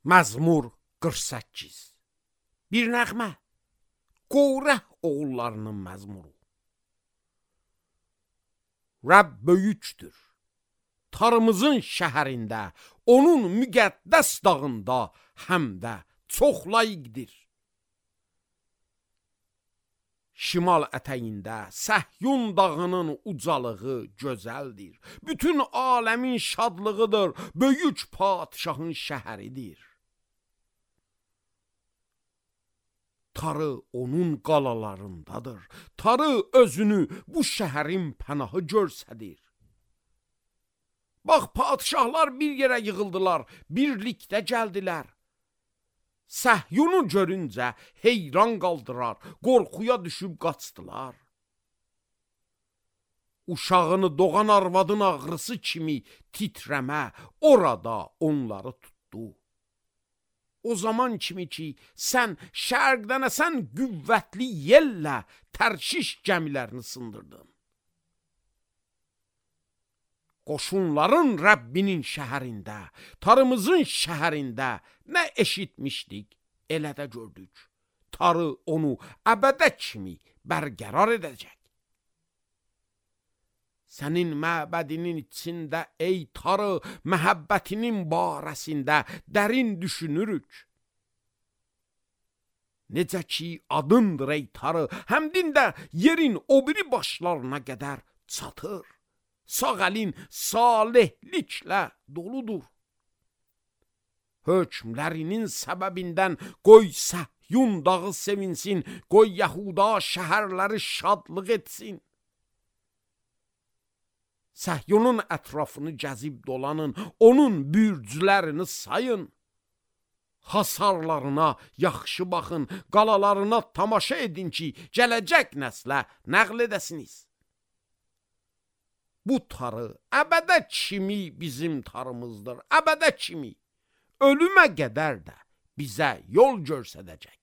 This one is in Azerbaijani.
Məzmur 48. Bir nəğmə, Qorah oğullarının məzmuru. Rəbb böyükdür, tarımızın şəhərində, onun müqəddəs dağında həm də çox layiqdir. Şimal ətəyində Səhyun dağının ucalığı gözəldir. Bütün aləmin şadlığıdır, böyük padişahın şəhəridir. Tarı onun qalalarındadır. Tarı özünü bu şəhərin pənahı görsədir. Bax, padişahlar bir yerə yığıldılar, birlikdə gəldilər. Səhyunu görüncə heyran qaldırar, qorxuya düşüb qaçdılar. Uşağını doğan arvadın ağrısı kimi titrəmə orada onları tutdu. O zaman kimi ki, sən şərqdənəsən qüvvətli yellə Tərşiş gəmilərini sındırdın. Qoşunların Rəbbinin şəhərində, tarımızın şəhərində nə eşitmişdik, elə də gördük. Tarı onu əbədə kimi bərqərar edəcək. Sənin məbədinin içində ey tarı, məhəbbətinin barəsində dərin düşünürük. Necə ki adındır ey tarı, həmdin də yerin o biri başlarına qədər çatır. Sağ əlin salihliklə doludur. Hökmlərinin səbəbindən qoy Səhyun dağı sevinsin, qoy Yəhuda şəhərləri şadlıq etsin. Səhyunun ətrafını gəzib dolanın, onun bürclərini sayın. Hasarlarına yaxşı baxın, qalalarına tamaşa edin ki, gələcək nəslə nəql edəsiniz. Bu tarı əbədə kimi bizim tarımızdır, əbədə kimi. Ölümə qədər də bizə yol göstərəcək.